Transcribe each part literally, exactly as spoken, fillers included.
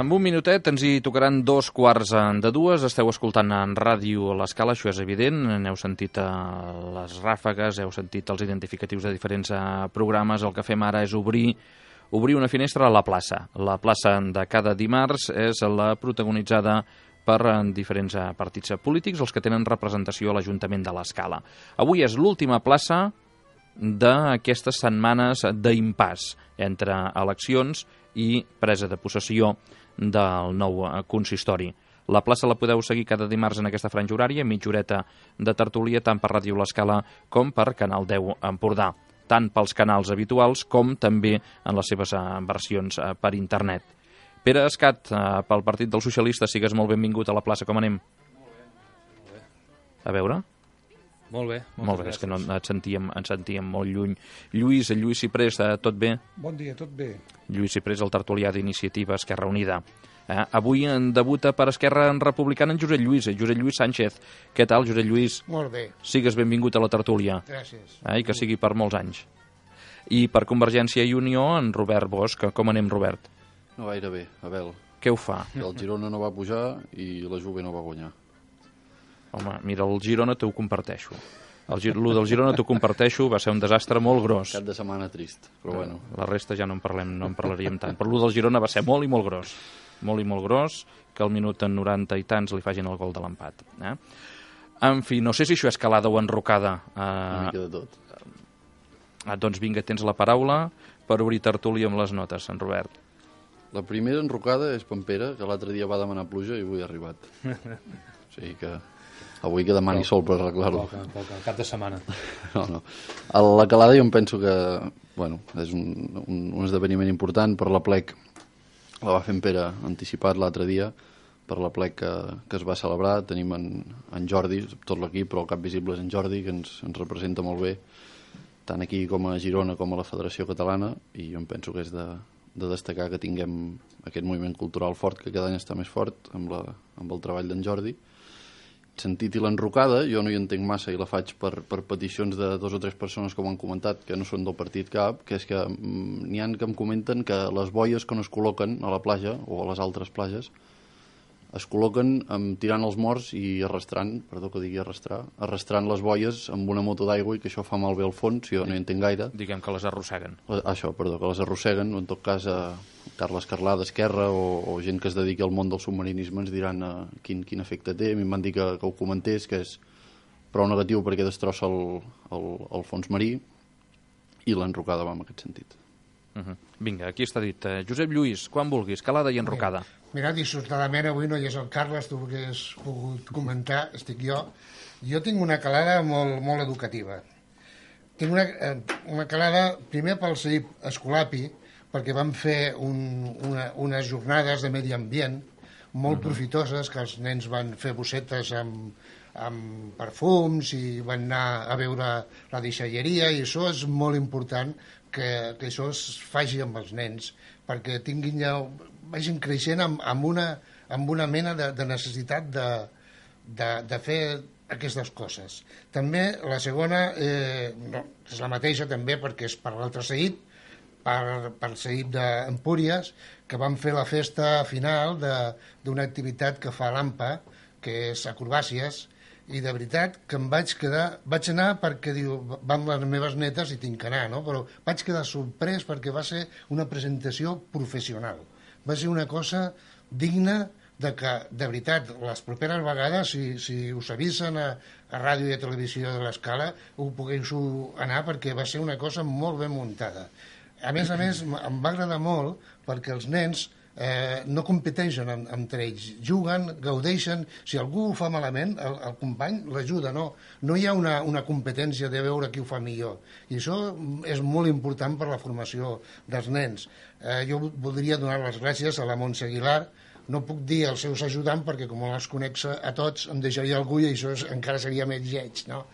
En un minutet ens hi tocaran dos quarts de dues. Esteu escoltant en ràdio l'Escala, això és evident. N'heu sentit les ràfegues, heu sentit els identificatius de diferents programes. El que fem ara és obrir obrir una finestra a la plaça. La plaça de cada dimarts és la protagonitzada per diferents partits polítics, els que tenen representació a l'Ajuntament de l'Escala. Avui és l'última plaça d'aquestes setmanes d'impàs entre eleccions i presa de possessió del nou consistori. La plaça la podeu seguir cada dimarts en aquesta franja horària, mitja horeta de tertúlia, tant per Ràdio l'Escala com per Canal deu Empordà, tant pels canals habituals com també en les seves versions per internet. Pere Escat, pel Partit dels Socialistes, sigues molt benvingut a la plaça. Com anem? Molt bé, molt bé. A veure? Molt bé. Molt bé, gràcies. És que no et sentíem, ens sentíem molt lluny. Lluís, Lluís Ciprés, tot bé? Bon dia, tot bé. Lluís Ciprés, el tertulià d'Iniciativa Esquerra Unida. Eh, avui en debuta per Esquerra Republicana en Josep Lluís, Josep Lluís Sánchez. Què tal, Josep Lluís? Molt bé. Sigues benvingut a la tertúlia. Gràcies. Eh, I que sigui per molts anys. I per Convergència i Unió, en Robert Bosch. Com anem, Robert? No gaire bé, Abel. Què ho fa? El Girona no va pujar i la Juve no va guanyar. Home, mira, el Girona t'ho comparteixo. El, Gir el del Girona t'ho comparteixo, va ser un desastre molt gros. Cap de setmana trist, però bueno. La resta ja no en parlem, no en parlaríem tant. Però el del Girona va ser molt i molt gros. Molt i molt gros, que al minut en noranta i tants li fagin el gol de l'empat. Eh? En fi, no sé si això és calada o enrocada. Eh, Una mica de tot. Eh, doncs vinga, tens la paraula per obrir tertúlia amb les notes, en Robert. La primera enrocada és Pampera, que l'altre dia va demanar pluja i avui ha arribat. O sigui que avui que demani sol per arreglar-lo. Poca, poca, cap de setmana. No, no. A la calada jo em penso que bueno, és un, un, un esdeveniment important per la plec. La va fer en Pere anticipat l'altre dia per la plec que, que es va celebrar. Tenim en, en Jordi, tot l'equip, però el cap visible és en Jordi, que ens, ens representa molt bé, tant aquí com a Girona com a la Federació Catalana, i jo em penso que és de, de destacar que tinguem aquest moviment cultural fort, que cada any està més fort amb, la, amb el treball d'en Jordi. Sentit i l'enrocada, jo no hi entenc massa i la faig per, per peticions de dos o tres persones que ho han comentat, que no són del partit cap, que és que n'hi ha que em comenten que les boies que no es col·loquen a la platja o a les altres platges es col·loquen amb, tirant els morts i arrastrant, perdó que digui arrastrar, arrastrant les boies amb una moto d'aigua i que això fa malbé al fons, jo no hi entenc gaire. Diguem que les arrosseguen. Això, perdó, que les arrosseguen, o en tot cas a Carles Carlà d'Esquerra o, o gent que es dediqui al món del submarinisme ens diran uh, quin, quin efecte té. A mi em van dir que, que ho comentés, que és prou negatiu perquè destrossa el, el, el fons marí, i l'enrocada va en aquest sentit. Uh -huh. Vinga, aquí està dit. Uh, Josep Lluís, quan vulguis, calada i enrocada. Mira, dissortadament avui no hi és el Carles, tu que has pogut comentar, estic jo. Jo tinc una calada molt, molt educativa. Tinc una, una calada, primer pel C I P Escolapi, perquè vam fer un, una, unes jornades de medi ambient molt uh -huh. profitoses, que els nens van fer bossetes amb, amb perfums i van anar a veure la deixalleria, i això és molt important que, que això es faci amb els nens, perquè tinguin ja, vagin creixent amb, amb, una, amb una mena de, de necessitat de, de, de fer aquestes coses. També la segona eh, no, és la mateixa també perquè és per l'altre C I P, per, per C I P d'Empúries, que vam fer la festa final d'una activitat que fa l'AMPA, que és acrobàcies, i de veritat que em vaig quedar, vaig anar perquè diu, van les meves netes i tinc que anar, no? Però vaig quedar sorprès perquè va ser una presentació professional. Va ser una cosa digna de que, de veritat, les properes vegades, si, si us avisen a, a ràdio i a televisió de l'Escala, ho poguéssiu anar perquè va ser una cosa molt ben muntada. A més a més, em va agradar molt perquè els nens eh, no competeixen entre ells, juguen, gaudeixen. Si algú ho fa malament, el, el company l'ajuda, no, no hi ha una, una competència de veure qui ho fa millor, i això és molt important per la formació dels nens. Eh, jo voldria donar les gràcies a la Montse Aguilar, no puc dir els seus ajudants perquè com els conec a tots em deixaria algú i això és, encara seria més lleig, no?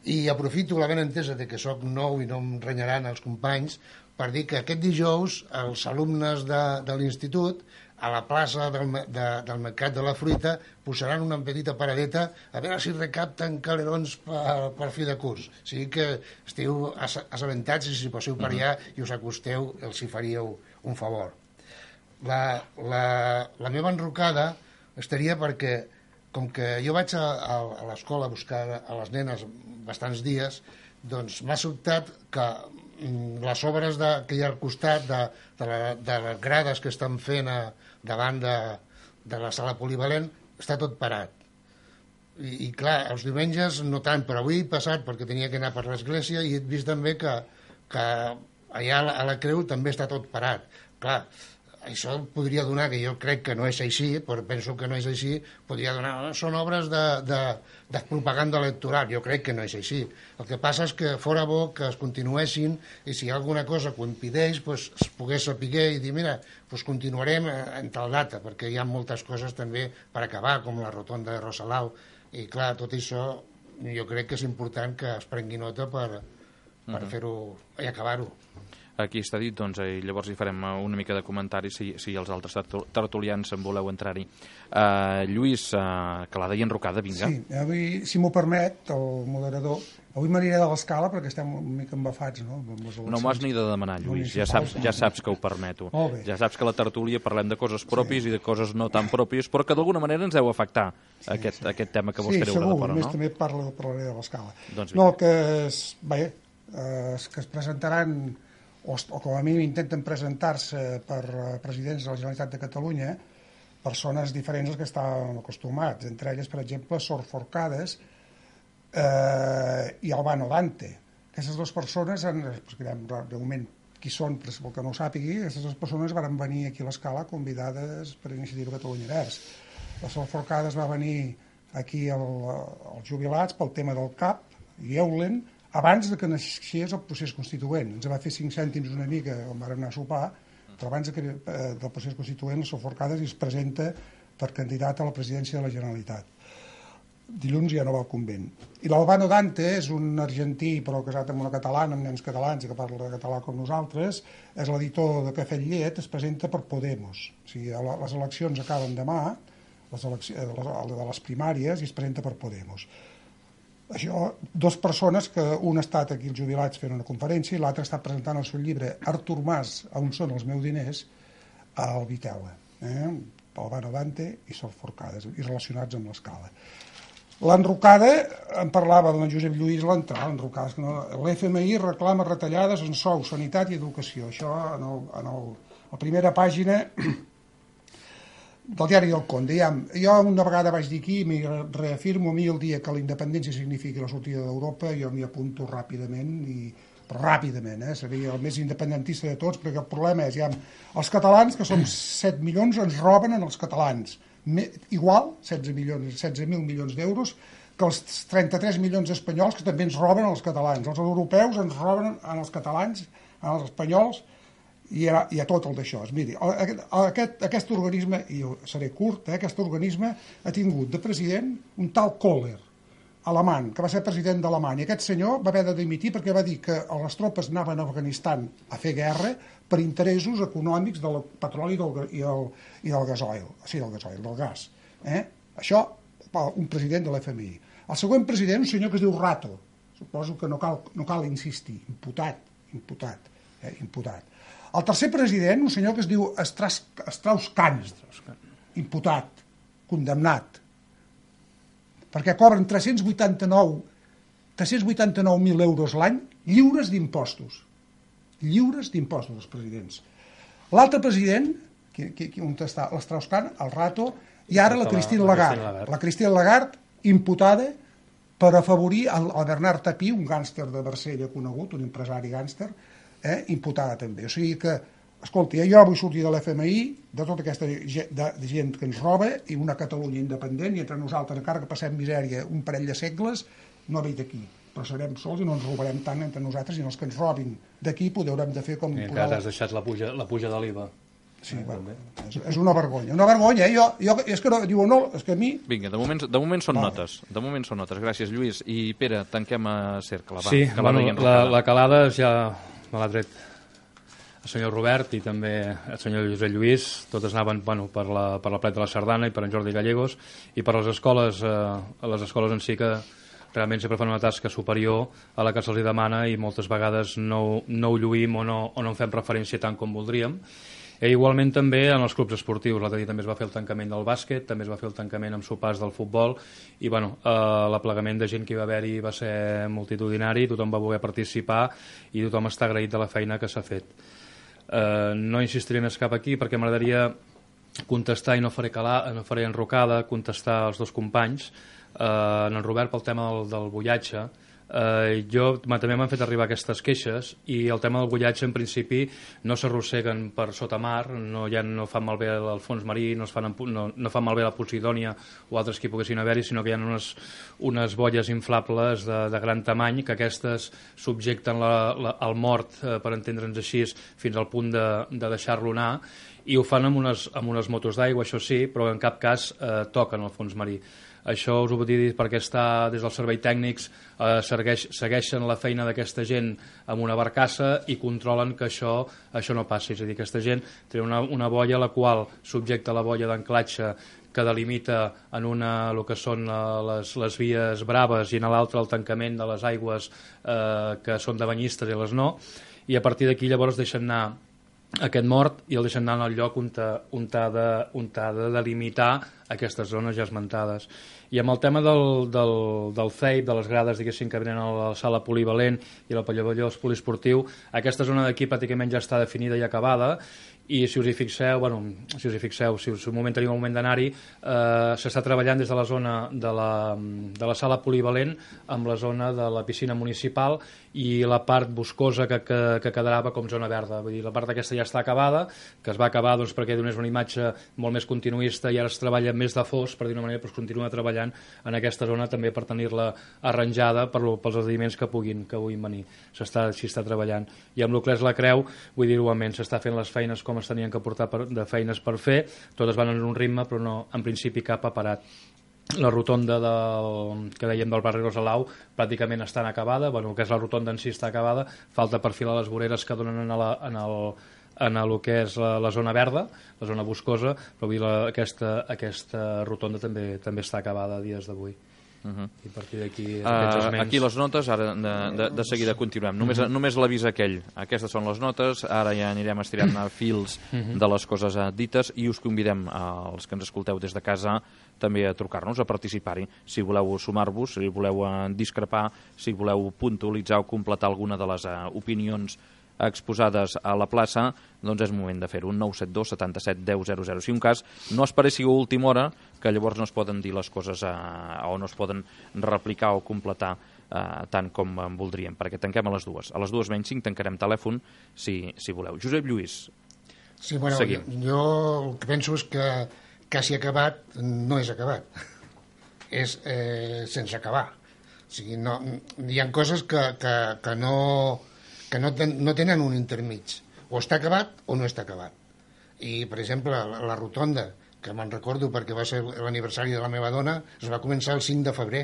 I aprofito la benentesa de que sóc nou i no em renyaran els companys per dir que aquest dijous els alumnes de, de l'institut a la plaça del, de, del Mercat de la Fruita posaran una petita paradeta a veure si recapten calerons per, per fi de curs. O sigui que esteu assabentats i si passeu per allà i us acosteu els hi faríeu un favor. la, la, la meva enrocada estaria perquè, com que jo vaig a, a, a l'escola a buscar a les nenes bastants dies, doncs m'ha sobtat que mm, les obres de, que hi ha al costat de, de, la, de les grades que estan fent a, davant de, de la sala polivalent està tot parat. I, i clar, els diumenges no tant, però avui he passat perquè tenia que anar per l'església i he vist també que, que allà a la, a la Creu també està tot parat. Clar, això podria donar, que jo crec que no és així, però penso que no és així, podria donar, oh, són obres de, de, de propaganda electoral, jo crec que no és així. El que passa és que fora bo que es continuessin i si hi ha alguna cosa que ho impedeix, pues, es pogués saber i dir, mira, pues continuarem en tal data, perquè hi ha moltes coses també per acabar, com la rotonda de Rosalau, i clar, tot això jo crec que és important que es prengui nota per, per uh-huh. fer-ho i acabar-ho. Aquí està dit, doncs, i llavors hi farem una mica de comentari si, si els altres tertulians en voleu entrar-hi. Uh, Lluís, uh, Calada i Enrocada, vinga. Sí, avui, si m'ho permet, el moderador, avui m'aniré de l'escala perquè estem una mica embafats, no? No m'ho has ni de demanar, Lluís, ja saps, ja saps que ho permeto. Ja saps que a la tertúlia parlem de coses pròpies sí. i de coses no tan pròpies, però que d'alguna manera ens deu afectar sí, aquest, sí. aquest tema que vostè sí, haurà de parlar, no? Sí, segur, a més també parlo, parlaré de l'escala. Doncs no, que es, bé, eh, que es presentaran o, o com a mínim intenten presentar-se per presidents de la Generalitat de Catalunya persones diferents als que estàvem acostumats, entre elles, per exemple, Sor Forcades eh, i Albano Dante. Aquestes dues persones, en, de moment, qui són, per el que no ho sàpigui, aquestes dues persones van venir aquí a l'Escala convidades per Iniciativa Catalunya Verds. La Sor Forcades va venir aquí al, als jubilats pel tema del C A P i Eulen, abans de que naixés el procés constituent. Ens va fer cinc cèntims una mica on vam anar a sopar, però abans de que, eh, del procés constituent la Sor Forcades es presenta per candidat a la presidència de la Generalitat. Dilluns ja no va al convent. I l'Albano Dante és un argentí però casat amb una catalana, amb nens catalans i que parla de català com nosaltres, és l'editor de Cafè Llet, es presenta per Podemos. O sigui, les eleccions acaben demà, les eleccions, de les primàries, i es presenta per Podemos. Això, dues persones que un ha estat aquí als jubilats fent una conferència i l'altre està presentant el seu llibre Artur Mas, on són els meus diners, al Vitela, eh? Albano Dante i Sor Forcades, i relacionats amb l'Escala. L'enrocada, en parlava de Josep Lluís l'entrada, l'enrocada, no? L'F M I reclama retallades en sou, sanitat i educació. Això en, el, en el, la primera pàgina del diari del Conde. Ja, jo una vegada vaig dir aquí, m'hi reafirmo, a mi el dia que la independència signifiqui la sortida d'Europa, jo m'hi apunto ràpidament, i, però ràpidament, eh? Seria el més independentista de tots, perquè el problema és, ja, els catalans, que som set milions, ens roben en els catalans. Me, igual, setze mil milions d'euros, que els trenta-tres milions espanyols, que també ens roben els catalans. Els europeus ens roben en els catalans, en els espanyols, i a, i a tot el d'això. Miri, aquest, aquest, aquest organisme, i jo seré curt, eh, aquest organisme ha tingut de president un tal Kohler, alemany, que va ser president d'Alemanya. Aquest senyor va haver de dimitir perquè va dir que les tropes anaven a Afganistan a fer guerra per interessos econòmics del petroli i del, i el, i del gasoil, sí, del gasoil, del gas. Eh? Això, un president de l'F M I. El següent president, un senyor que es diu Rato, suposo que no cal, no cal insistir, imputat, imputat, eh, imputat. El tercer president, un senyor que es diu Strauss-Kahn, imputat, condemnat, perquè cobren tres-cents vuitanta-nou mil euros l'any lliures d'impostos. Lliures d'impostos, els presidents. L'altre president, qui, qui, on està? L'Strauss-Kahn, el Rato, i ara la Christine Lagarde. La Christine Lagarde, imputada per afavorir el, el Bernard Tapie, un gàngster de Marsella conegut, un empresari gàngster, eh, imputada també. O sigui que, escolta, jo vull sortir de l'F M I, de tota aquesta gent, de, de gent que ens roba, i una Catalunya independent, i entre nosaltres, encara que passem misèria un parell de segles, no ve d'aquí. Però serem sols i no ens robarem tant entre nosaltres, i els que ens robin d'aquí podrem de fer com... I encara has deixat la puja, la puja de l'I V A. Sí, eh, bueno, és, és una vergonya. Una vergonya, eh? Jo, jo, és que no, diu, no, és que a mi... Vinga, de moment, de moment són vale. notes. De moment són notes. Gràcies, Lluís. I Pere, tanquem a cercle. Va, sí, bueno, la, la calada ja me l'ha tret el senyor Robert i també el senyor Josep Lluís. Totes anaven, bueno, per la, per la plet de la Sardana i per en Jordi Gallegos, i per les escoles, eh, les escoles en si que realment sempre fan una tasca superior a la que se'ls demana, i moltes vegades no, no ho lluïm o no, o no en fem referència tant com voldríem. I igualment també en els clubs esportius. L'altre dia també es va fer el tancament del bàsquet, també es va fer el tancament amb sopars del futbol i bueno, eh, l'aplegament de gent que hi va haver-hi va ser multitudinari, tothom va voler participar i tothom està agraït de la feina que s'ha fet. Eh, no insistiré més cap aquí perquè m'agradaria contestar i no faré, calar, no faré enrocada, contestar als dos companys. Eh, en el Robert pel tema del, del bullatge. Eh, jo també m'han fet arribar aquestes queixes i el tema del bullatge en principi no s'arrosseguen per sota mar, no, ja no fan malbé el fons marí, no, es fan, no, no fan malbé la Posidònia o altres que hi poguessin haver-hi, sinó que hi ha unes, unes bolles inflables de, de gran tamany que aquestes subjecten la, la, el mort, eh, per entendre'ns així, fins al punt de, de deixar-lo anar, i ho fan amb unes, amb unes motos d'aigua, això sí, però en cap cas eh, toquen el fons marí. Això us ho vull dir perquè està des dels serveis tècnics, eh, segueix, segueixen la feina d'aquesta gent amb una barcassa i controlen que això, això no passi. És a dir, aquesta gent té una, una boia la qual subjecta la boia d'anclatge que delimita en una el que són les, les vies braves i en l'altra el tancament de les aigües eh, que són de banyistes i les no, i a partir d'aquí llavors deixen anar aquest mort i el deixen anar al lloc on t'ha de, de delimitar aquestes zones ja esmentades. I amb el tema del, del, del C E I P, de les grades diguéssim que venen a la sala polivalent i al pavelló poliesportiu, aquesta zona d'aquí pràcticament ja està definida i acabada, i si us hi fixeu, bueno, si us hi fixeu, si us un moment teniu un moment d'anar-hi, eh, s'està treballant des de la zona de la, de la sala polivalent amb la zona de la piscina municipal i la part boscosa que, que, que quedava com zona verda. Vull dir, la part aquesta ja està acabada, que es va acabar doncs, perquè donés una imatge molt més continuista i ara es treballa més de fos, per dir una manera, però es continua treballant en aquesta zona també per tenir-la arranjada per lo, pels esdeveniments que puguin, que puguin venir. S'està, s'hi està treballant. I amb el que és la creu, vull dir igualment, s'està fent les feines com es tenien que portar per, de feines per fer, totes van en un ritme, però no, en principi cap ha parat. La rotonda del, que dèiem del barri Rosalau pràcticament està acabada, bueno, el que és la rotonda en si està acabada, falta perfilar les voreres que donen en, la, en el en el que és la, la zona verda, la zona boscosa, però vull dir, la, aquesta, aquesta rotonda també també està acabada a dies d'avui. Uh-huh. I a partir d'aquí uh, aquí les notes, ara de, de, de seguida continuem només, uh-huh. només l'avís aquell, aquestes són les notes, ara ja anirem estirant fils uh-huh. de les coses dites i us convidem als que ens escolteu des de casa també a trucar-nos, a participar-hi si voleu sumar-vos, si voleu discrepar, si voleu puntualitzar o completar alguna de les uh, opinions exposades a la plaça, doncs és moment de fer-ho. nou set dos setanta-set deu zero zero. Si un cas no esperéssiu a última hora, que llavors no es poden dir les coses a, o no es poden replicar o completar eh, tant com en voldríem, perquè tanquem a les dues. A les dues menys cinc tancarem telèfon, si, si voleu. Josep Lluís, sí, bueno, seguim. Jo, jo el que penso és que quasi acabat no és acabat. És eh, sense acabar. O sigui, no, hi ha coses que, que, que no... que no, ten, no tenen un intermig. O està acabat o no està acabat. I, per exemple, la, la rotonda, que me'n recordo perquè va ser l'aniversari de la meva dona, es va començar el cinc de febrer.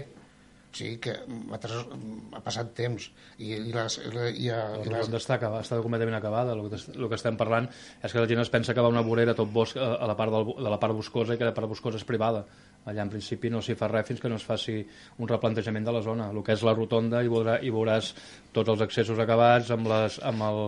O sigui que ha passat temps. I, i les, i, a, la i rotonda les... està, acabada, està completament acabada. El que, el que estem parlant és que la gent es pensa que va una vorera tot bosc a la part del, de la part boscosa i que la part boscosa és privada. Allà en principi no s'hi fa res fins que no es faci un replantejament de la zona. El que és la rotonda hi, veurà, hi veuràs tots els accessos acabats amb, les, amb, el,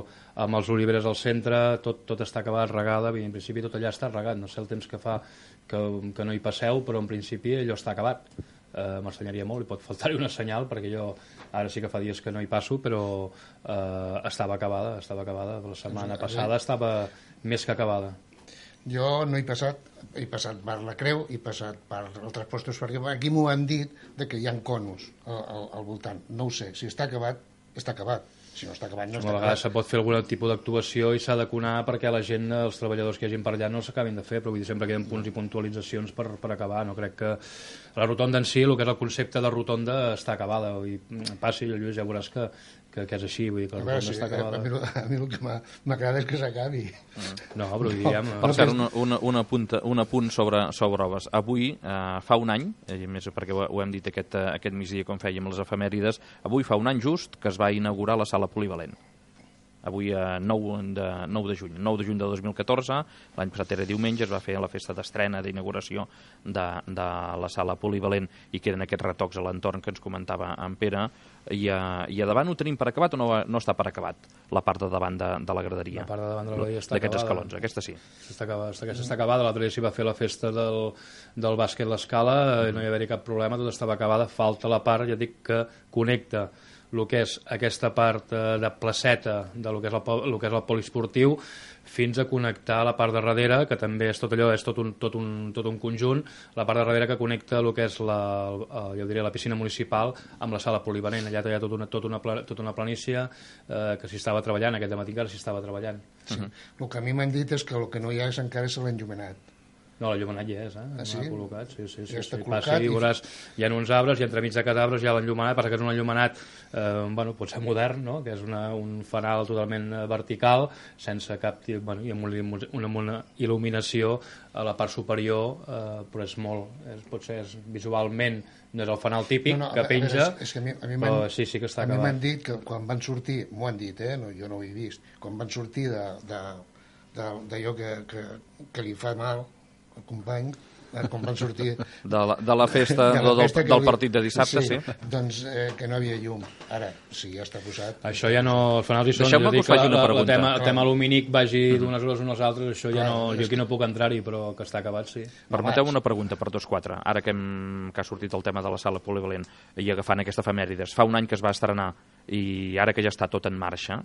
amb els oliveres al centre, tot, tot està acabat, regada, i en principi tot allà està regat. No sé el temps que fa que, que no hi passeu, però en principi allò està acabat. Eh, m'ensenyaria molt, i pot faltar-hi una senyal perquè jo ara sí que fa dies que no hi passo, però eh, estava acabada, estava acabada. La setmana passada estava més que acabada. Jo no he passat, he passat per la Creu, he passat per altres postos, perquè aquí m'ho han dit de que hi ha conos al, al, al voltant. No ho sé, si està acabat, està acabat. Si no està acabat, no està acabat. A vegades se pot fer algun tipus d'actuació i s'ha d'aconar perquè la gent, els treballadors que hi hagin per allà no s'acabin de fer, però vull dir, sempre queden punts i puntualitzacions per, per acabar. No crec que la rotonda en si, el que és el concepte de rotonda, està acabada. I passi, Lluís, ja veuràs que, que, que és així, vull dir que la rotonda sí, està acabada. A mi, a mi el que m'agrada és que s'acabi. No, però diguem... Per cert, una, una, una punta, un apunt sobre, sobre obres. Avui, eh, fa un any, eh, més perquè ho, ho hem dit aquest, eh, aquest migdia quan fèiem les efemèrides, avui fa un any just que es va inaugurar la sala polivalent. avui a nou de, nou de juny, nou de juny de dos mil catorze, l'any passat era diumenge, es va fer la festa d'estrena d'inauguració de, de la sala polivalent i queden aquests retocs a l'entorn que ens comentava en Pere, i a, i a davant ho tenim per acabat o no, no està per acabat la part de davant de, de la graderia? La part de davant de la graderia està d'aquests acabada. escalons, aquesta sí. Està acabada, està, aquesta està acabada, l'altre dia s'hi va fer la festa del, del bàsquet l'Escala, i no hi va haver cap problema, tot estava acabada, falta la part, ja dic, que connecta el que és aquesta part de placeta de lo que és el, el, que és el poliesportiu fins a connectar la part de darrere, que també és tot allò, és tot un, tot un, tot un conjunt, la part de darrere que connecta el que és la, jo diria, la piscina municipal amb la sala polivalent. Allà hi ha tota una, tot una, tota una planícia eh, que s'hi estava treballant, aquest matí encara s'hi estava treballant. Sí. Uh-huh. El que a mi m'han dit és que el que no hi ha és encara és l'enllumenat. No, l'enllumenat ja és, eh? Ah, sí? Col·locat, sí, sí, sí. Ja sí. està Passa i veuràs, hi ha uns arbres i entremig de cada arbres hi ha l'enllumenat, passa que és un enllumenat, eh, bueno, potser modern, no? Que és una, un fanal totalment vertical, sense cap tipus, bueno, i amb una, una il·luminació a la part superior, eh, però és molt, és, potser és visualment, no és el fanal típic no, no, que penja, veure, és que a mi, a mi però sí, sí que està a acabat. mi m'han dit que quan van sortir, m'ho han dit, eh? No, jo no ho he vist, quan van sortir d'allò que, que, que li fa mal el company, quan van sortir de la, de la festa, de la festa del, del partit de dissabte, sí, sí. Doncs eh, que no havia llum. Ara, sí, ja està posat. Això ja no, els fanals hi són, deixeu-me que us faci una pregunta. El tema, el tema alumínic vagi d'unes hores a unes altres, això ja no, jo aquí no puc entrar-hi, però que està acabat, sí. Permeteu una pregunta per dos quatre, ara que, hem, que ha sortit el tema de la sala polivalent i agafant aquesta efemèrides, fa un any que es va estrenar i ara que ja està tot en marxa,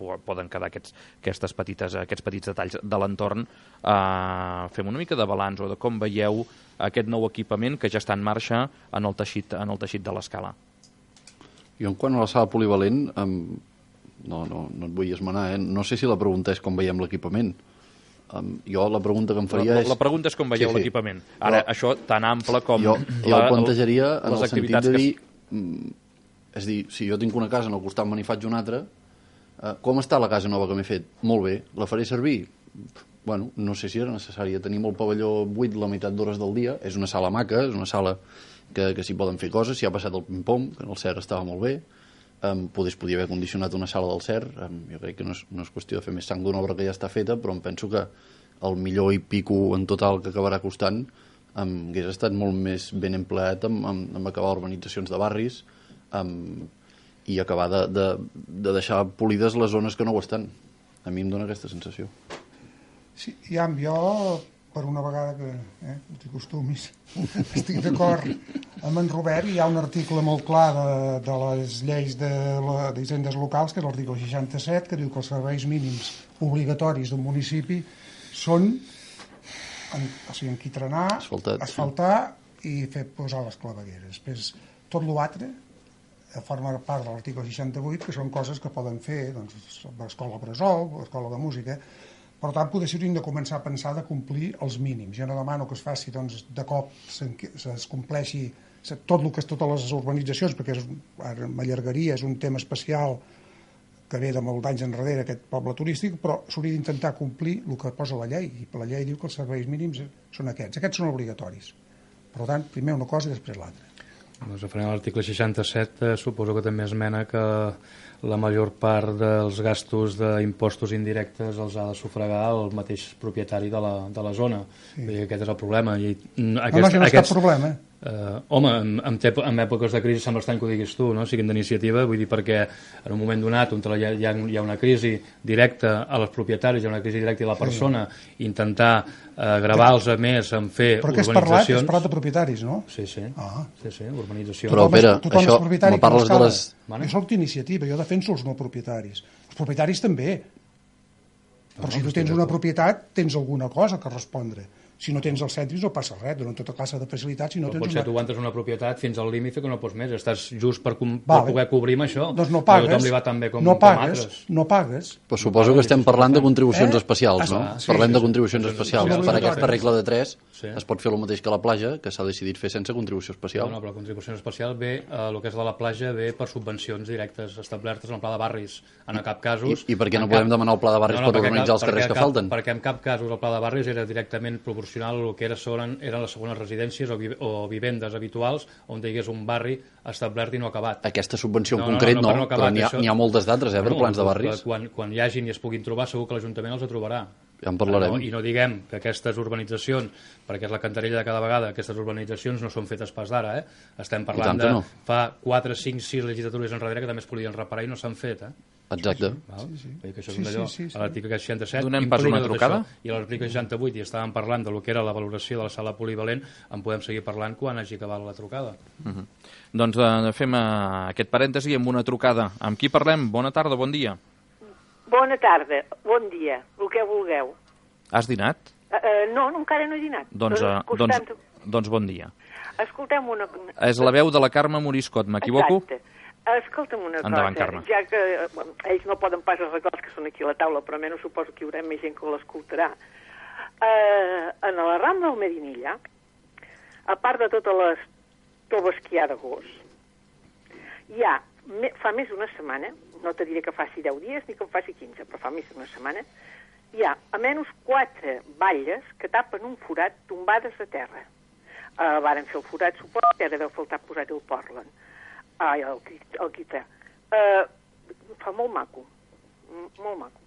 poden quedar aquests, aquestes petites, aquests petits detalls de l'entorn, eh, fem una mica de balanç o de com veieu aquest nou equipament que ja està en marxa en el teixit, en el teixit de l'Escala. Jo en quant a la sala polivalent, um, no, no, no et vull esmenar, eh? No sé si la pregunta és com veiem l'equipament. Um, jo la pregunta que em faria la, és... La pregunta és com veieu sí, sí. l'equipament. Ara, però, això tan ample com... Jo, jo la, el plantejaria en el sentit de dir... Que... És dir, si jo tinc una casa en el costat me n'hi faig una altra, eh, com està la casa nova que m'he fet? Molt bé. La faré servir? Bueno, no sé si era necessari. Tenim el pavelló buit la meitat d'hores del dia. És una sala maca, és una sala que, que s'hi poden fer coses. S'hi ha passat el ping-pong, que en el C E R estava molt bé. Um, podés, podia haver condicionat una sala del C E R. Um, jo crec que no és, no és qüestió de fer més sang d'una obra que ja està feta, però em penso que el millor i pico en total que acabarà costant um, hagués estat molt més ben empleat amb, amb, amb acabar urbanitzacions de barris, Um, i acabar de, de, de deixar polides les zones que no ho estan. A mi em dóna aquesta sensació. Sí, ja, jo, per una vegada que eh, t'hi acostumis, estic d'acord amb en Robert. Hi ha un article molt clar de, de les lleis de d'hisendes locals, que és l'article seixanta-set, que diu que els serveis mínims obligatoris d'un municipi són en, o sigui, enquitrenar, asfaltat, asfaltar sí. i fer posar les clavegueres. Després, tot l'altre forma part de l'article seixanta-vuit, que són coses que poden fer doncs, l'escola Bressol, l'escola de música. Per tant, potser hauríem de començar a pensar de complir els mínims. Jo no demano que es faci doncs, de cop, es compleixi tot el que és totes les urbanitzacions, perquè és, ara m'allargaria, és un tema especial que ve de molts anys enrere, aquest poble turístic, però s'hauria d'intentar complir el que posa la llei, i la llei diu que els serveis mínims són aquests. Aquests són obligatoris. Per tant, primer una cosa i després l'altra. Doncs referent a l'article seixanta-set, eh, suposo que també esmena que la major part dels gastos d'impostos indirectes els ha de sufragar el mateix propietari de la, de la zona. Sí. I aquest és el problema. I aquest, no, no, això no és aquests, cap problema. Eh, home, en, en, te, en èpoques de crisi sembla estrany que ho diguis tu, no? Siguin d'iniciativa, vull dir, perquè en un moment donat on hi ha, hi ha, hi ha una crisi directa a les propietaris, hi ha una crisi directa a la persona, sí. intentar eh, gravar-los més en fer però urbanitzacions... Però què has parlat? Has parlat de propietaris, no? Sí, sí, ah. sí, sí urbanitzacions. Però, Pere, això, me parles de les... Vale. Jo soc d'iniciativa, jo defenso els no propietaris. Els propietaris també. Però no, si tu tens una propietat, tens alguna cosa que respondre. Si no tens els cèntrims no passa res, donen tota classe de facilitats. Si no tens potser una... tu aguantes una propietat fins al límit que no pots més, estàs just per, com... vale. per poder cobrir amb això. Doncs no pagues, no tothom li va tan bé com, no pagues, com altres. No pagues. Però suposo no que estem parlant de contribucions eh? especials, no? Ah, sí, Parlem sí, de contribucions sí, especials. Sí, per aquesta regla de tres sí. es pot fer el mateix que la platja, que s'ha decidit fer sense contribució especial. No, no, però la contribució especial ve, eh, el que és de la platja ve per subvencions directes establertes en el pla de barris. En cap casos... I, i per què no podem cap... demanar el pla de barris no, no, per urbanitzar els carrers que cap, falten? Perquè en cap cas el pla de barris era directament proporcional proporcional al que era eren, eren les segones residències o, vi, o vivendes habituals on hi hagués un barri establert i no acabat. Aquesta subvenció en no, concret no, no, no, no acabat, però n'hi ha, això... ha moltes d'altres, eh, per no, plans de barris. Quan, quan hi hagin i es puguin trobar, segur que l'Ajuntament els trobarà. Ja en parlarem. No, I no diguem que aquestes urbanitzacions, perquè és la cantarella de cada vegada, aquestes urbanitzacions no són fetes pas d'ara, eh? Estem parlant de no. fa quatre, cinc, sis legislatures enrere que també es podien reparar i no s'han fet, eh? Exacte. Sí, sí. Que això és Sí, un d'allò. sí, sí, sí. A l'article seixanta-set Donem pas una trucada? I a l'article seixanta-vuit i estàvem parlant de lo que era la valoració de la sala polivalent, en podem seguir parlant quan hagi acabat la trucada. Uh -huh. Doncs uh, fem uh, aquest parèntesi amb una trucada. Amb qui parlem? Bona tarda, bon dia. Bona tarda, bon dia, el que vulgueu. Has dinat? Uh, uh, no, encara no he dinat. Doncs, uh, doncs, doncs bon dia. Escoltem una... És la veu de la Carme Moriscot, m'equivoco? Exacte. Escolta'm una Endavant, cosa, Carme. ja que bueno, ells no poden pas arreglar els que són aquí a la taula, però almenys suposo que hi haurà més gent que l'escoltarà. Uh, en la Rambla del Medinilla, a part de totes les toves que hi ha de gos, hi ha, me, fa més d'una setmana, no te diré que faci deu dies ni que en faci quinze, però fa més d'una setmana, hi ha almenys quatre batlles que tapen un forat tombades a terra. Uh, varen fer el forat, suposo que ara deu faltar posar-hi el Portland. Ai, el, el quitar. Uh, fa molt maco. Molt maco.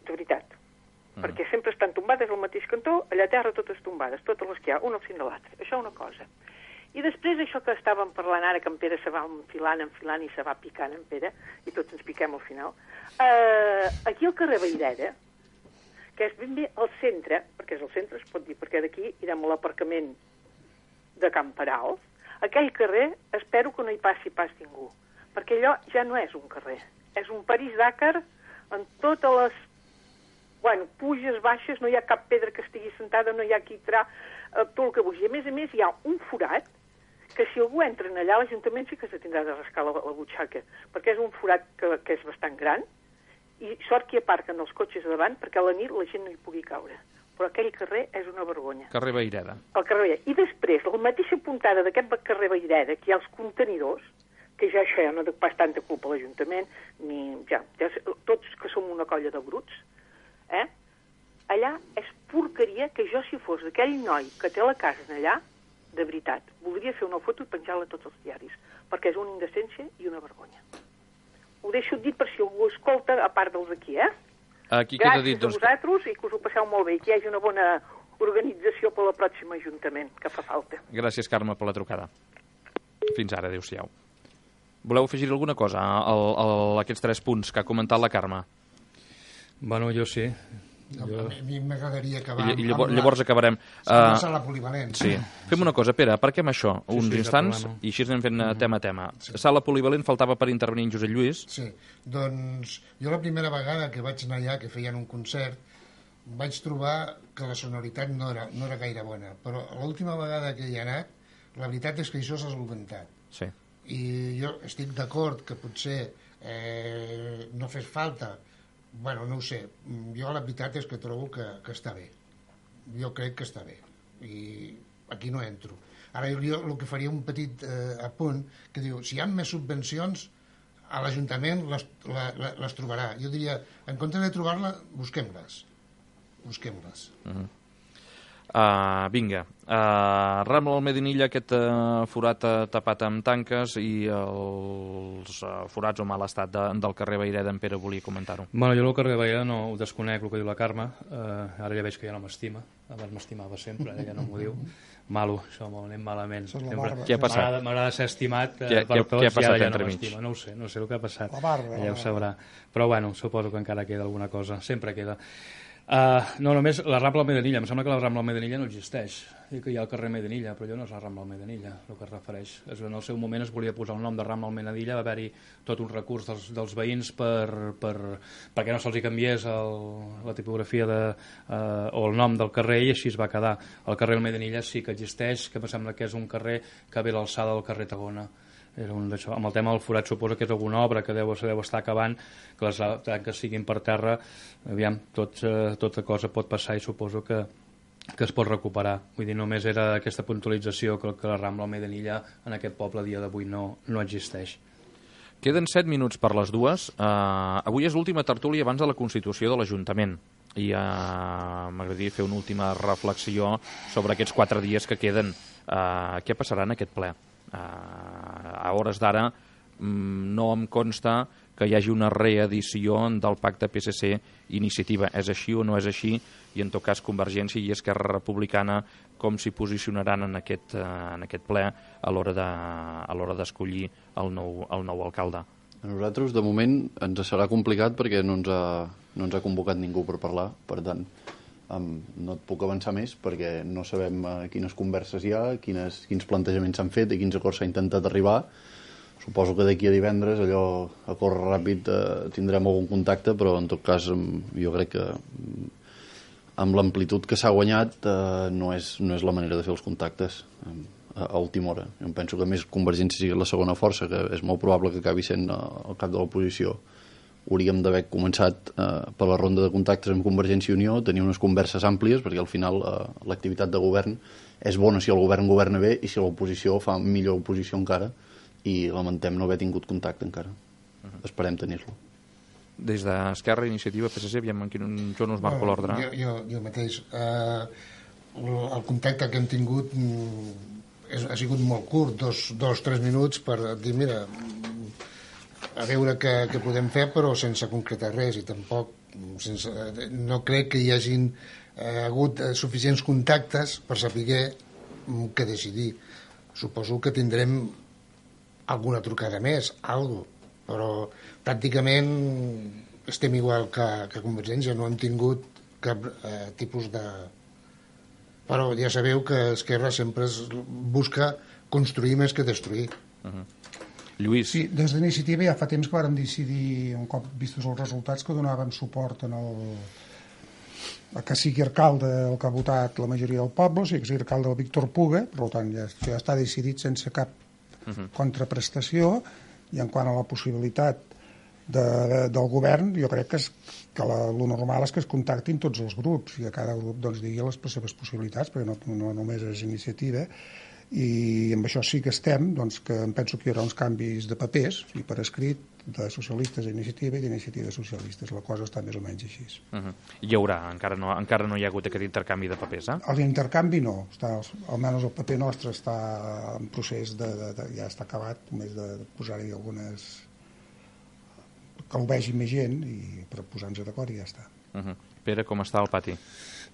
De veritat. Mm. Perquè sempre estan tombades al mateix cantó, allà a terra totes tombades, totes les que hi ha, una al cim de l'altre. Això una cosa. I després això que estàvem parlant ara, que en Pere se va enfilant, enfilant i se va picant en Pere, i tots ens piquem al final. Uh, aquí al carrer Vayreda, que és ben bé al centre, perquè és al centre, es pot dir, perquè d'aquí irem a l'aparcament de Can Peral, aquell carrer espero que no hi passi pas ningú, perquè allò ja no és un carrer, és un París-Dakar en totes les bueno, puges, baixes, no hi ha cap pedra que estigui sentada, no hi ha qui tra eh, tot el que vulgui. A més a més hi ha un forat que si algú entra allà l'Ajuntament sí que se tindrà de rascar la, la butxaca, perquè és un forat que, que és bastant gran i sort que hi aparquen els cotxes davant perquè a la nit la gent no hi pugui caure. Però aquell carrer és una vergonya. Carrer Vayreda. El carrer Vayreda. I després, la mateixa puntada d'aquest carrer Vayreda, que hi ha els contenidors, que ja això ja no té pas tanta culpa a l'Ajuntament, ni ja, ja, tots que som una colla de bruts, eh? Allà és porqueria que jo, si fos d'aquell noi que té la casa allà, de veritat, voldria fer una foto i penjar-la a tots els diaris, perquè és una indecència i una vergonya. Ho deixo dit per si algú escolta, a part dels aquí, eh? Aquí queda Gràcies dit, doncs... a vosaltres i que us ho passeu molt bé i que hi hagi una bona organització per la pròxima Ajuntament, que fa falta. Gràcies, Carme, per la trucada. Fins ara, adéu-siau. Voleu afegir alguna cosa a, a, a aquests tres punts que ha comentat la Carme? Bueno, jo sí. Jo... A mi m'agradaria acabar... I, i llavors, llavors acabarem. Amb la sala polivalent. Sí. Fem una cosa, Pere, aparquem això sí, uns sí, instants i així anem fent Mm-hmm. tema a tema. Sí. Sala polivalent, faltava per intervenir en Josep Lluís. Sí, doncs jo la primera vegada que vaig anar allà, que feien un concert, vaig trobar que la sonoritat no era, no era gaire bona, però l'última vegada que hi he anat, la veritat és que això s'ha solventat. Sí. I jo estic d'acord que potser eh, no fes falta. Bueno, no ho sé. Jo la veritat és que trobo que, que està bé. Jo crec que està bé. I aquí no entro. Ara jo el que faria un petit eh, apunt que diu, si hi ha més subvencions a l'Ajuntament les, la, la, les trobarà. Jo diria, en compte de trobar-la, busquem-les. Busquem-les. Uh -huh. Uh, vinga, uh, Rambla al Medinilla, aquest uh, forat uh, tapat amb tanques i els uh, forats o mal estat de, del carrer Vayreda, en Pere volia comentar-ho. Bueno, jo el carrer Vayreda no ho desconec, el que diu la Carme, uh, ara ja veig que ja no m'estima, abans m'estimava sempre, ara ja no m'ho diu. Malo, això m'ho anem malament. Què ha passat? M'agrada ser estimat uh, què, per tots què ha passat i ara ja entre no mig? m'estima. No ho sé, no sé el que ha passat. La barba. Ja ho sabrà. Però bueno, suposo que encara queda alguna cosa, sempre queda. Uh, no, només la Rambla al Medinilla. Em sembla que la Rambla al Medinilla no existeix i que hi ha el carrer Medinilla, però allò no és la Rambla al Medinilla, el que es refereix. En el seu moment es volia posar el nom de Rambla al Medinilla, va haver-hi tot un recurs dels, dels veïns per, per, perquè no se'ls hi canviés el, la tipografia de, uh, o el nom del carrer i així es va quedar. El carrer al Medinilla sí que existeix, que em sembla que és un carrer que ve a l'alçada del carrer Tagona. Era un d'això. Amb el tema del forat suposo que és alguna obra que deu, se deu estar acabant, que les tanques siguin per terra, aviam, tot, eh, tota cosa pot passar i suposo que, que es pot recuperar. Vull dir, només era aquesta puntualització que, que la Rambla al Medinilla en aquest poble a dia d'avui no, no existeix. Queden set minuts per les dues. Uh, avui és l'última tertúlia abans de la constitució de l'Ajuntament. i eh, m'agradaria fer una última reflexió sobre aquests quatre dies que queden. Eh, què passarà en aquest ple? Eh, a hores d'ara mm, no em consta que hi hagi una reedició del pacte P S C-Iniciativa. És així o no és així? I en tot cas Convergència i Esquerra Republicana com s'hi posicionaran en aquest, eh, en aquest ple a l'hora de, a l'hora d'escollir el nou, el nou alcalde? A nosaltres, de moment, ens serà complicat perquè no ens ha, no ens ha convocat ningú per parlar, per tant, um, no et puc avançar més perquè no sabem uh, quines converses hi ha, quines, quins plantejaments s'han fet i quins acords s'ha intentat arribar. Suposo que d'aquí a divendres allò a córrer ràpid eh, tindrem algun contacte, però en tot cas jo crec que amb l'amplitud que s'ha guanyat eh, no, és, no és la manera de fer els contactes eh, a, a última hora. Jo penso que més Convergència sigui la segona força, que és molt probable que acabi sent eh, el cap de l'oposició. Hauríem d'haver començat eh, per la ronda de contactes amb Convergència i Unió, tenir unes converses àmplies, perquè al final eh, l'activitat de govern és bona si el govern governa bé i si l'oposició fa millor oposició encara, i lamentem no haver tingut contacte encara. Uh-huh. Esperem tenir-lo. Des d'Esquerra, Iniciativa, P S C, aviam en quin jo no us marco l'ordre. Jo, jo, jo mateix. Eh, el contacte que hem tingut és, ha sigut molt curt, dos, dos, tres minuts per dir, mira, a veure què, què podem fer, però sense concretar res, i tampoc sense, no crec que hi hagin eh, hagut suficients contactes per saber què decidir. Suposo que tindrem alguna trucada més, algo, però pràcticament estem igual que, que Convergència, no hem tingut cap eh, tipus de... Però ja sabeu que Esquerra sempre es busca construir més que destruir. Uh-huh. Lluís. Sí, des d'Iniciativa ja fa temps que vàrem decidir, un cop vistos els resultats, que donàvem suport en el... a que sigui alcalde el que ha votat la majoria del poble, o sigui que sigui alcalde el Víctor Puga, per tant ja, ja està decidit sense cap Uh-huh. contraprestació, i en quant a la possibilitat de, de, del govern, jo crec que, és, que la, lo normal és que es contactin tots els grups i que cada grup doncs, digui les seves possibilitats, perquè no, no només és Iniciativa, i amb això sí que estem, doncs, que em penso que hi haurà uns canvis de papers i per escrit de socialistes a Iniciativa i d'Iniciativa a socialistes. La cosa està més o menys així. Uh-huh. Hi haurà, encara no, encara no hi ha hagut aquest intercanvi de papers, eh? L'intercanvi no, està, almenys el paper nostre està en procés de, de, de ja està acabat, només de posar-hi algunes que ho vegi més gent i per posar-nos d'acord i ja està. Uh-huh. Pere, com està el pati?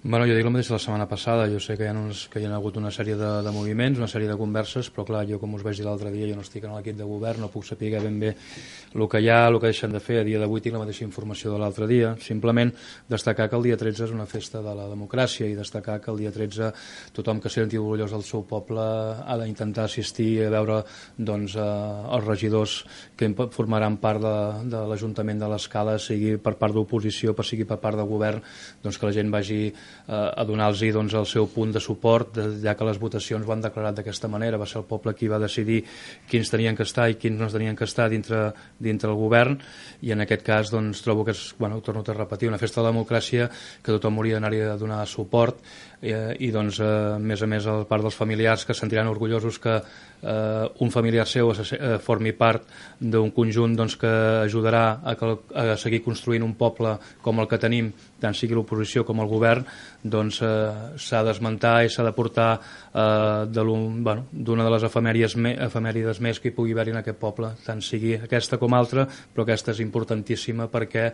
Bueno, jo dic el mateix la setmana passada, jo sé que hi ha, uns, que hi ha hagut una sèrie de, de moviments, una sèrie de converses, però clar, jo com us vaig dir l'altre dia, jo no estic en l'equip de govern, no puc saber ben bé el que hi ha, el que deixen de fer. A dia d'avui tinc la mateixa informació de l'altre dia, simplement destacar que el dia tretze és una festa de la democràcia i destacar que el dia tretze tothom que s'hi senti orgullós del seu poble ha d'intentar assistir a veure doncs, eh, els regidors que formaran part de, de l'Ajuntament de l'Escala, sigui per part d'oposició, per sigui per part del govern, doncs que la gent vagi a donar-los doncs, el seu punt de suport, ja que les votacions ho han declarat d'aquesta manera. Va ser el poble qui va decidir quins tenien que estar i quins no tenien que estar dintre, dintre el govern, i en aquest cas doncs, trobo que és, bueno, ho torno a repetir, una festa de la democràcia que tothom hauria d'anar-hi a donar suport, eh, i doncs, eh, a més a més, a part dels familiars que sentiran orgullosos que eh, un familiar seu eh, formi part d'un conjunt doncs, que ajudarà a, que, a seguir construint un poble com el que tenim, tant sigui l'oposició com el govern, doncs eh, s'ha d'esmentar i s'ha de portar eh, d'una bueno, de les efemèrides, me, efemèrides més que hi pugui haver en aquest poble, tant sigui aquesta com altra, però aquesta és importantíssima perquè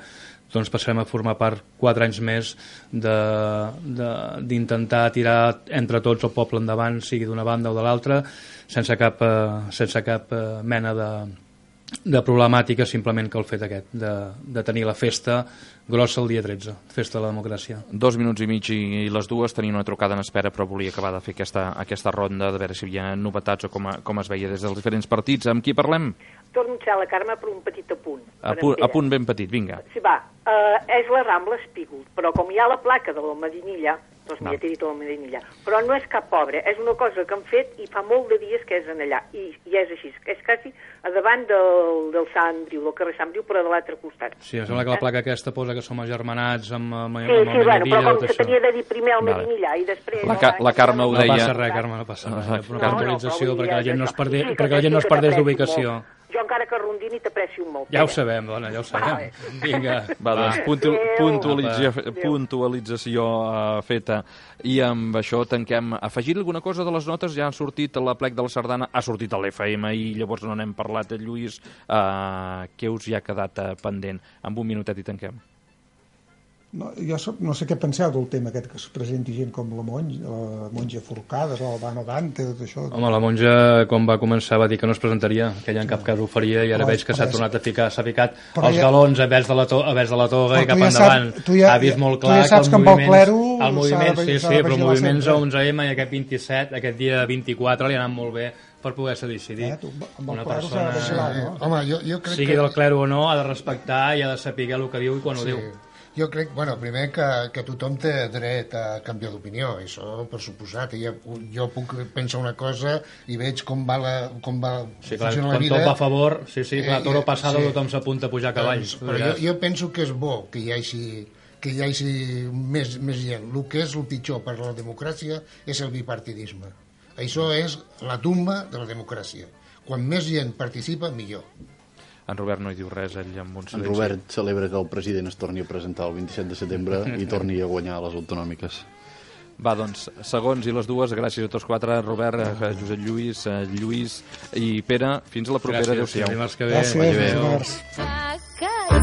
doncs, passarem a formar part quatre anys més d'intentar tirar entre tots el poble endavant, sigui d'una banda o de l'altra, sense cap, eh, sense cap eh, mena de de problemàtica, simplement que el fet aquest de, de tenir la festa grossa el dia tretze, festa de la democràcia. Dos minuts i mig i les dues, tenia una trucada en espera, però volia acabar de fer aquesta, aquesta ronda, de veure si hi havia novetats o com, a, com es veia des dels diferents partits. Amb qui parlem? Torno a ser la Carme per un petit apunt. A punt, a punt ben petit, vinga. Sí, va. Uh, és la Rambla Espígol, però com hi ha la placa de la Medinilla, doncs m'hi he dit la Medinilla. Però no és cap pobre, és una cosa que han fet i fa molt de dies que és en allà, i, i és així, és quasi a davant del, del Sant Andriu, del carrer Sant Andriu, però de l'altre costat. Sí, em sembla que la placa aquesta posa que som agermanats amb, amb, sí, amb sí, el bueno, però com que això. tenia de dir primer el Vale. Medinilla i després... La, ca la Carme ho No deia... passa res, Carme, no passa res. No, Una puntualització no, perquè la gent no es perdés, sí, perquè la gent no es perdés d'ubicació. Jo encara encara que rondini t'aprecio molt. Ja ho sabem, dona, ja ho sabem. Vinga, Va, doncs, puntu Adéu. puntualitza Adéu. puntualització uh, feta. I amb això tanquem. Afegir alguna cosa de les notes? Ja han sortit a la plec de la Sardana, ha sortit a l'F M i llavors no n'hem parlat, eh, Lluís. Uh, què us hi ha quedat uh, pendent? Amb un minutet i tanquem. No, jo so, no sé què penseu del tema aquest que es presenti gent com la monja, la monja Forcades, l'Albano Dante, tot això. Home, la monja, quan va començar, va dir que no es presentaria, que ella en cap cas ho faria, i ara Però- veig que s'ha però és- tornat a ficar, s'ha ficat Però els ja- galons a vers de la, to a vers de la toga Però i cap tu ja endavant. saps- tu ja- ha vist molt tu clar ja saps que que els amb el moviments, clero el s'ha moviment, de- sí, s'ha sí, de però els vigilar moviments sempre. onze eme i aquest vint-i-set, aquest dia vint-i-quatre, li ha anat molt bé per poder-se decidir. Eh, tu, amb el Una clero s'ha de persona, vigilar, no? Home, jo, jo crec sigui que... del clero o no, ha de respectar i ha de saber el que diu i quan ho Sí. diu. Jo crec, bueno, primer que, que tothom té dret a canviar d'opinió, això per suposat. Jo, jo puc pensar una cosa i veig com va la, com va Sí, clar, funciona la quan vida. tot va a favor, sí, sí, clar, Eh, toro eh, passado, sí. tothom s'apunta a pujar a cavall. Doncs, però jo, jo penso que és bo que hi hagi, que hi hagi més, més gent. El que és el pitjor per a la democràcia és el bipartidisme. Això és la tumba de la democràcia. Quan més gent participa, millor. En Robert no hi diu res, ell amb un En silenci. Robert celebra que el president es torni a presentar el vint-i-set de setembre i torni a guanyar les autonòmiques. Va, doncs, segons i les dues, gràcies a tots quatre, Robert, eh, Josep Lluís, eh, Lluís i Pere. Fins a la propera. Gràcies, Adéu-siau. dimarts que ve. Gràcies, vagi bé. dimarts. Saca